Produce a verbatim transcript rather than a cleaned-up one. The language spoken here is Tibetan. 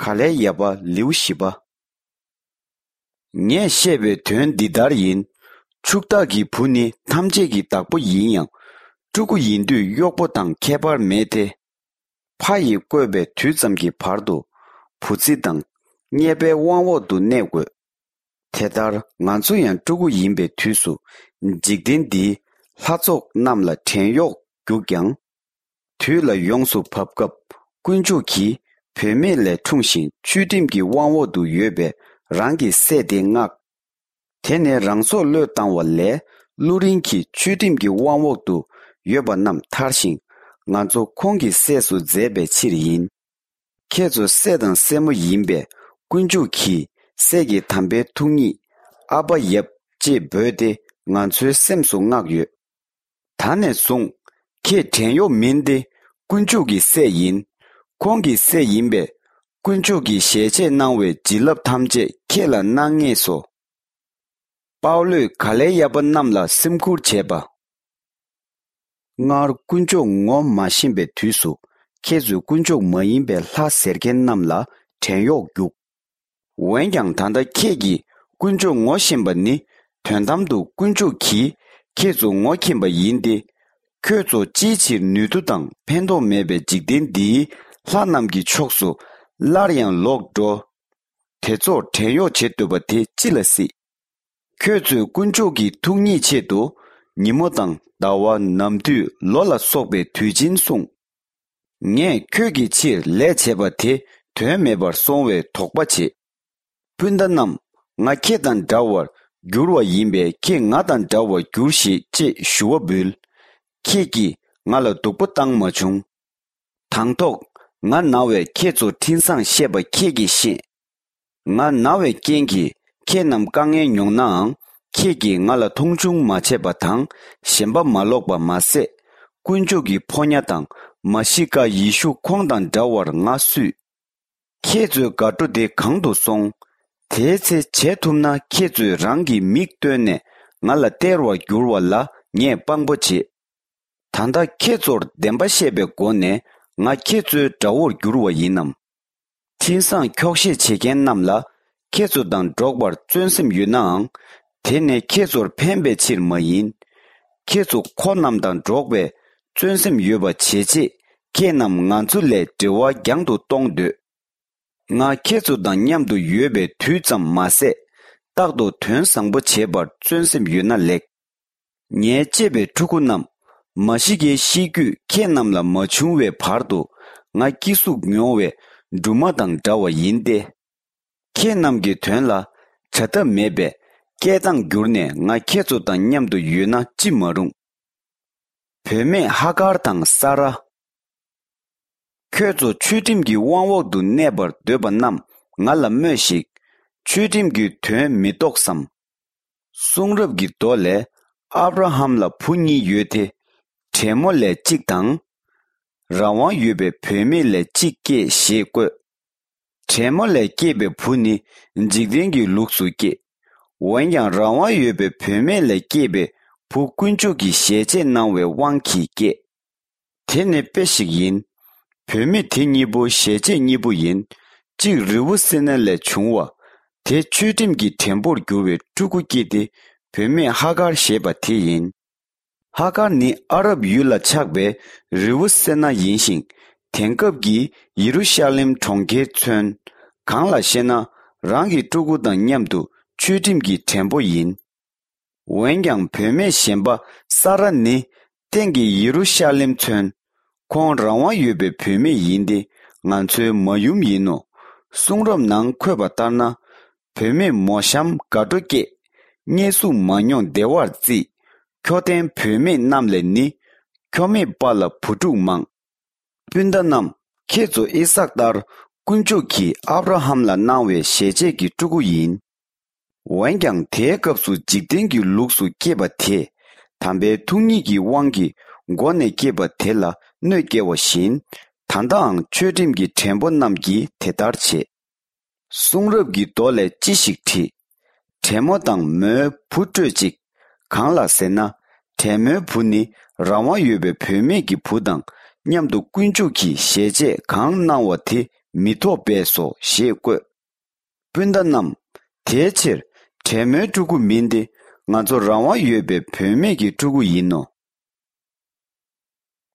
ག་ལའི་ཡབ་པ་ལེའུ་བཞི་པ། ངས་བཤད་པའི་དོན་འདི་ལྟར་ཡིན། ཕྱུག་བདག་གི་བུ་ནི་ཐམས་ཅད་ཀྱི་བདག་པོ་ཡིན་ཡང་། ཕྲུ་གུ་ཡིན་དུས་གཡོག་པོ་དང་ཁྱད་པར་མེད་དེ། ཕ་ཡིས་བསྐོས་པའི་དུས་ཙམ་གྱི་བར་དུ་བུ་ཚ་དང་གཉེར་པའི་དབང་འོག་ཏུ་གནས་དགོས། དེ་ལྟར་ང་ཚོ་ཡང་ཕྲུ་གུ་ཡིན་པའི་དུས་སུ་འཇིག་རྟེན་འདིའི་ལྷ་ཚོགས་རྣམས་ལ་བྲན་གཡོག་རྒྱུགས་ཀྱང་། དུས་ལ་ཡོངས་སུ་བབ་སྐབས་དཀོན་མཆོག་གིས་བུད་མེད་ལས་འཁྲུངས་ཤིང་ཆོས་ཁྲིམས་ཀྱི་དབང་འོག་ཏུ་ཡོད་པའི་རང་གི་སྲས་དེ་མངགས། དེ་ནས་རང་སྲོག་བློས་བཏང་བ་ལས་བླུ་རིན་གྱིས་ཆོས་ཁྲིམས་ཀྱི་དབང་འོག་ཏུ་ཡོད་པ་རྣམས་ཐར་ཞིང་ང་ཚོ་ཁོང་གི་སྲས་སུ་མཛད་པའི་ཕྱིར་ཡིན། ཁྱེད་ཚོ་སྲས་དང་སྲས་མོ་ཡིན་པས་དཀོན་མཆོག་གིས་སྲས་ཀྱི་དམ་པའི་ཐུགས་ཉིད་ཨ་ཕ་ཡབ་ཅེས་འབོད་དེ་ང་ཚོའི་སེམས་སུ་མངགས་ཡོད། ད་ནས་བཟུང་ཁྱེད་བྲན་གཡོག་མིན་ཏེ་དཀོན་མཆོག་གི་སྲས་ཡིན། ཁོང་གི་སྲས་ཡིན་པས་དཀོན་མཆོག་གིས་ཞལ་ཆད་གནང་བའི་བྱིན་རླབས་ཐམས་ཅད་ཁྱེད་ལ་གནང་ངེས་སོ། པའུ་ལོས་ག་ལའི་ཡབ་པ་རྣམས་ལ་སེམས་ཁུར་བྱས་པ། སྔར་དཀོན་མཆོག་ངོ་མ་ཤེས་པའི་དུས་སུ་ཁྱེད་ཚོས་དཀོན་མཆོག་མ་ཡིན་པའི་ལྷ་ཟེར་མཁན་རྣམས་ལ་བྲན་གཡོག་རྒྱུགས། འོན་ཀྱང་ད་ལྟ་ཁྱེད་ཀྱིས་དཀོན་མཆོག་ངོ་ཤེས་པ་ནི་དོན་དམ་དུ་དཀོན་མཆོག་གིས་ཁྱེད་ཚོ་ངོ་མཁྱེན་པ་ཡིན་ཏེ། ཁྱོད་ཚོ་ཅིའི་ཕྱིར་ནུས་མཐུ་དང་ཕན་ཐོགས་མེད་པའི་འཇིག་རྟེན་འདིའི་ལྷ་རྣམས་ཀྱི་ཕྱོགས་སུ་སླར་ཡང་ལོག་འགྲོ། དེ་ཚོར་བྲན་གཡོག་བྱེད་འདོད་པ་དེ་ཅི་ལ་སྲིད། ཁྱོད་ཚོས་དཀོན་མཆོག་གི་ཐུགས་ཉིད་ཆེད་དུ་ཉིན་མོ་དང་ཟླ་བ་ནམ་དུས་ལོ་ལ་སོགས་པའི་དུས་ཆེན་སྲུང་། ངས་ཁྱོད་ཀྱི་ཕྱིར་ལས་བྱས་པ་དེ་དོན་མེད་པར་སོང་བའི་དོགས་པ་བྱེད། སྤུན་ཟླ་རྣམས། ང་ཁྱེད་དང་འདྲ་བར་འགྱུར་བ་ཡིན་པས་ཁྱེད་ང་དང་འདྲ་བར་འགྱུར་ཞིག་ཅེས་ཞུ་བ་འབུལ། ཁྱེད་ཀྱིས་ང་ལ་སྡུག་པོ་བཏང་མ་བྱུང་། དང་ཐོག་ང་ན་བས་ཁྱེད་ཚོ་འཕྲིན་བཟང་བཤད་པ་ཁྱེད་ཀྱིས་ཤེས། ང་ན་བའི་རྐྱེན་གྱིས་ཁྱེད་རྣམས་དཀའ་ངལ་མྱོང་ནའང་ཁྱེད་ཀྱིས་ང་ལ་མཐོང་ཆུང་མ་བྱས་པ་དང་ཞེན་པ་མ་ལོག་པ་མ་ཟད། དཀོན་མཆོག་གི་ཕོ་ཉ་དང་མ་ཤི་ཀ་ཡེ་ཤུ་ཁོང་དང་འདྲ་བར་ང་བསུས། ཁྱེད་ཚོའི་དགའ་སྤྲོ་དེ་གང་དུ་སོང་། དེའི་ཚེ་བྱེད་ཐུབ་ན་ཁྱེད་ཚོས་རང་གི་མིག་བཏོན་ནས་ང་ལ་སྟེར་བར་འགྱུར་བ་ལ་ངས་དཔང་པོ་བྱེད། ད་ལྟ་ཁྱེད་ཚོར་བདེན་པ་བཤད་པའི་སྒོ་ནས་ང་ཁྱེད་ཚོའི་དགྲ་བོར་འགྱུར་བ་ཡིན་ནམ། འཕྲིན་བཟང་འཁྱོག་བཤད་བྱེད་མཁན་རྣམས་ལ་ཁྱེད་ཚོ་དང་འགྲོགས་པར་བརྩོན་སེམས་ཡོད་ནའང་། དེ་ནི་ཁྱེད་ཚོར་ཕན་པའི་ཕྱིར་མ་ཡིན། ཁྱེད་ཚོ་ཁོ་རྣམས་དང་འགྲོགས་པའི་བརྩོན་སེམས་ཡོད་པ་བྱེད་ཆེད་ཁྱེད་རྣམས་ང་ཚོ་ལས་འབྲེལ་བ་རྒྱང་དུ་གཏོང་འདོད། ང་ཁྱེད་ཚོ་དང་མཉམ་དུ་ཡོད་པའི་དུས་ཙམ་མ་ཟད། རྟག་ཏུ་དོན་བཟང་པོ་བྱེད་པར་བརྩོན་སེམས་ཡོད་ན་ལེགས། ངའི་གཅེས་པའི་ཕྲུ་གུ་རྣམས། མ་ཤི་ཀའི་ཤེས་རྒྱུད་ཁྱེད་རྣམས་ལ་མ་བྱུང་བའི་བར་དུ་ང་སྐྱེ་གཟུགས་མྱོང་བའི་སྦྲུམ་མ་དང་འདྲ་བ་ཡིན་ཏེ། ཁྱེད་རྣམས་ཀྱི་དོན་ལ་བྱ་ཐབས་མེད་པས་སྐད་གདངས་བསྒྱུར་ནས་ང་ཁྱེད་ཚོ་དང་མཉམ་དུ་ཡོད་ན་ཅི་མ་རུང་། བུད་མེད་ཧ་གར་དང་ས་ར། ཁྱོད་ཚོ་ཆོས་ཁྲིམས་ཀྱི་དབང་འོག་ཏུ་གནས་པར་འདོད་པ་རྣམས་ང་ལ་སྨྲོས་ཤིག། ཆོས་ཁྲིམས་ཀྱི་དོན་མི་རྟོགས་སམ། གསུང་རབ་ཀྱི་མདོ་ལས། ཨབ་ར་ཧམ་ལ་བུ་གཉིས་ཡོད་དེ། བྲན་མོ་ལས་གཅིག་དང་། རང་དབང་ཡོད་པའི་བུད་མེད་ལས་གཅིག་སྐྱེས་ཞེས་བཀོད། བྲན་མོ་ལས་སྐྱེས་པའི་བུ་ནི་འཇིག་རྟེན་གྱི་ལུགས་སུ་སྐྱེས། འོན་ཀྱང་རང་དབང་ཡོད་པའི་བུད་མེད་ལས་སྐྱེས་པའི་བུ་དཀོན་མཆོག་གིས་ཞལ་ཆད་གནང་བའི་དབང་གིས་སྐྱེས། དེ་ནི་དཔེ་ཞིག་ཡིན། བུད་མེད་དེ་གཉིས་པོ་ཞལ་ཆད་གཉིས་པོ་ཡིན། གཅིག་རི་བོ་སེ་ན་ལས་བྱུང་བ། དེ་ཆོས་ཁྲིམས་ཀྱི་བྲན་པོར་གྱུར་བའི་ཕྲུ་གུ་སྐྱེས་ཏེ་བུད་མེད་ཧ་གར་ཞེས་པ་དེ་ཡིན། ཧ་གར་ནི་ཨ་རབ་ཡུལ་ལ་ཆགས་པའི་རི་བོ་སེ་ན་ཡིན་ཞིང་། དེང་སྐབས་ཀྱི་ཡེ་རུ་ཤ་ལེམ་གྲོང་ཁྱེར་མཚོན། གང་ལགས་ཤེ་ན། རང་གི་ཕྲུ་གུ་དང་མཉམ་དུ་ཆོས་ཁྲིམས་ཀྱི་བྲན་པོ་ཡིན། འོན་ཀྱང་བུད་མེད་གཞན་པ་ས་ར་ནི་སྟེང་གི་ཡེ་རུ་ཤ་ལེམ་མཚོན། ཁོང་རང་དབང་ཡོད་པའི་བུད་མེད་ཡིན་ཏེ་ང་ཚོའི་མ་ཡུམ་ཡིན་ནོ། གསུང་རབ་ནང་འཁོད་པ་ལྟར་ན། བུད་མེད་མོ་གཤམ་དགའ་སྤྲོ་སྐྱེས། བརྙས་སྲུང་མ་མྱོང་བདེ་བར་བརྩིས། ཁྱོ་ལྡན་བུད་མེད་རྣམས་ལས་ནི། ཁྱོ་མེད་པ་ལ་བུ་ཕྲུག་མང་། སྤུན་ཟླ་རྣམས། ཁྱེད་ཚོ་ཨི་སཱག་ལྟར་དཀོན་མཆོག་གིས་ཨབ་ར་ཧམ་ལ་གནང་བའི་ཞལ་ཆད་ཀྱི་ཕྲུ་གུ་ཡིན། འོན་ཀྱང་དེའི་སྐབས་སུ་འཇིག་རྟེན་གྱི་ལུགས་སུ་སྐྱེས་པ་དེས་དམ་པའི་ཐུགས་ཉིད་ཀྱི་དབང་གིས་མགོ་ནས་སྐྱེས་པ་དེ་ལ་གནོད་སྐྱེལ་བ་བཞིན། ད་ལྟའང་ཆོས་ཁྲིམས་ཀྱི་བྲན་པོ་རྣམས་ཀྱིས་དེ་ལྟར་བྱེད། གསུང་རབ་ཀྱི་མདོ་ལས་ཅི་ཞིག་བྲིས། བྲན་མོ་དང་མོའི་བུ་སྤྲོད་ཅིག། གང་ལགས་ཟེར་ན། བྲན་མོའི་བུ་ནི་རང་དབང་ཡོད་པའི་བུད་མེད་ཀྱི་བུ་དང་མཉམ་དུ་དཀོན་མཆོག་གིས་ཞལ་ཆད་གང་གནང་བ་དེ་ མི་ཐོགས་པས་སོ་ཞེས་བཀོད། སྤུན་ཟླ་རྣམས། དེའི་ཕྱིར་བྲན་མོའི་ཕྲུ་གུ་མིན་ཏེ། ང་ཚོ་རང་དབང་ཡོད་པའི་བུད་མེད་ཀྱི་ཕྲུ་གུ་ཡིན་ནོ།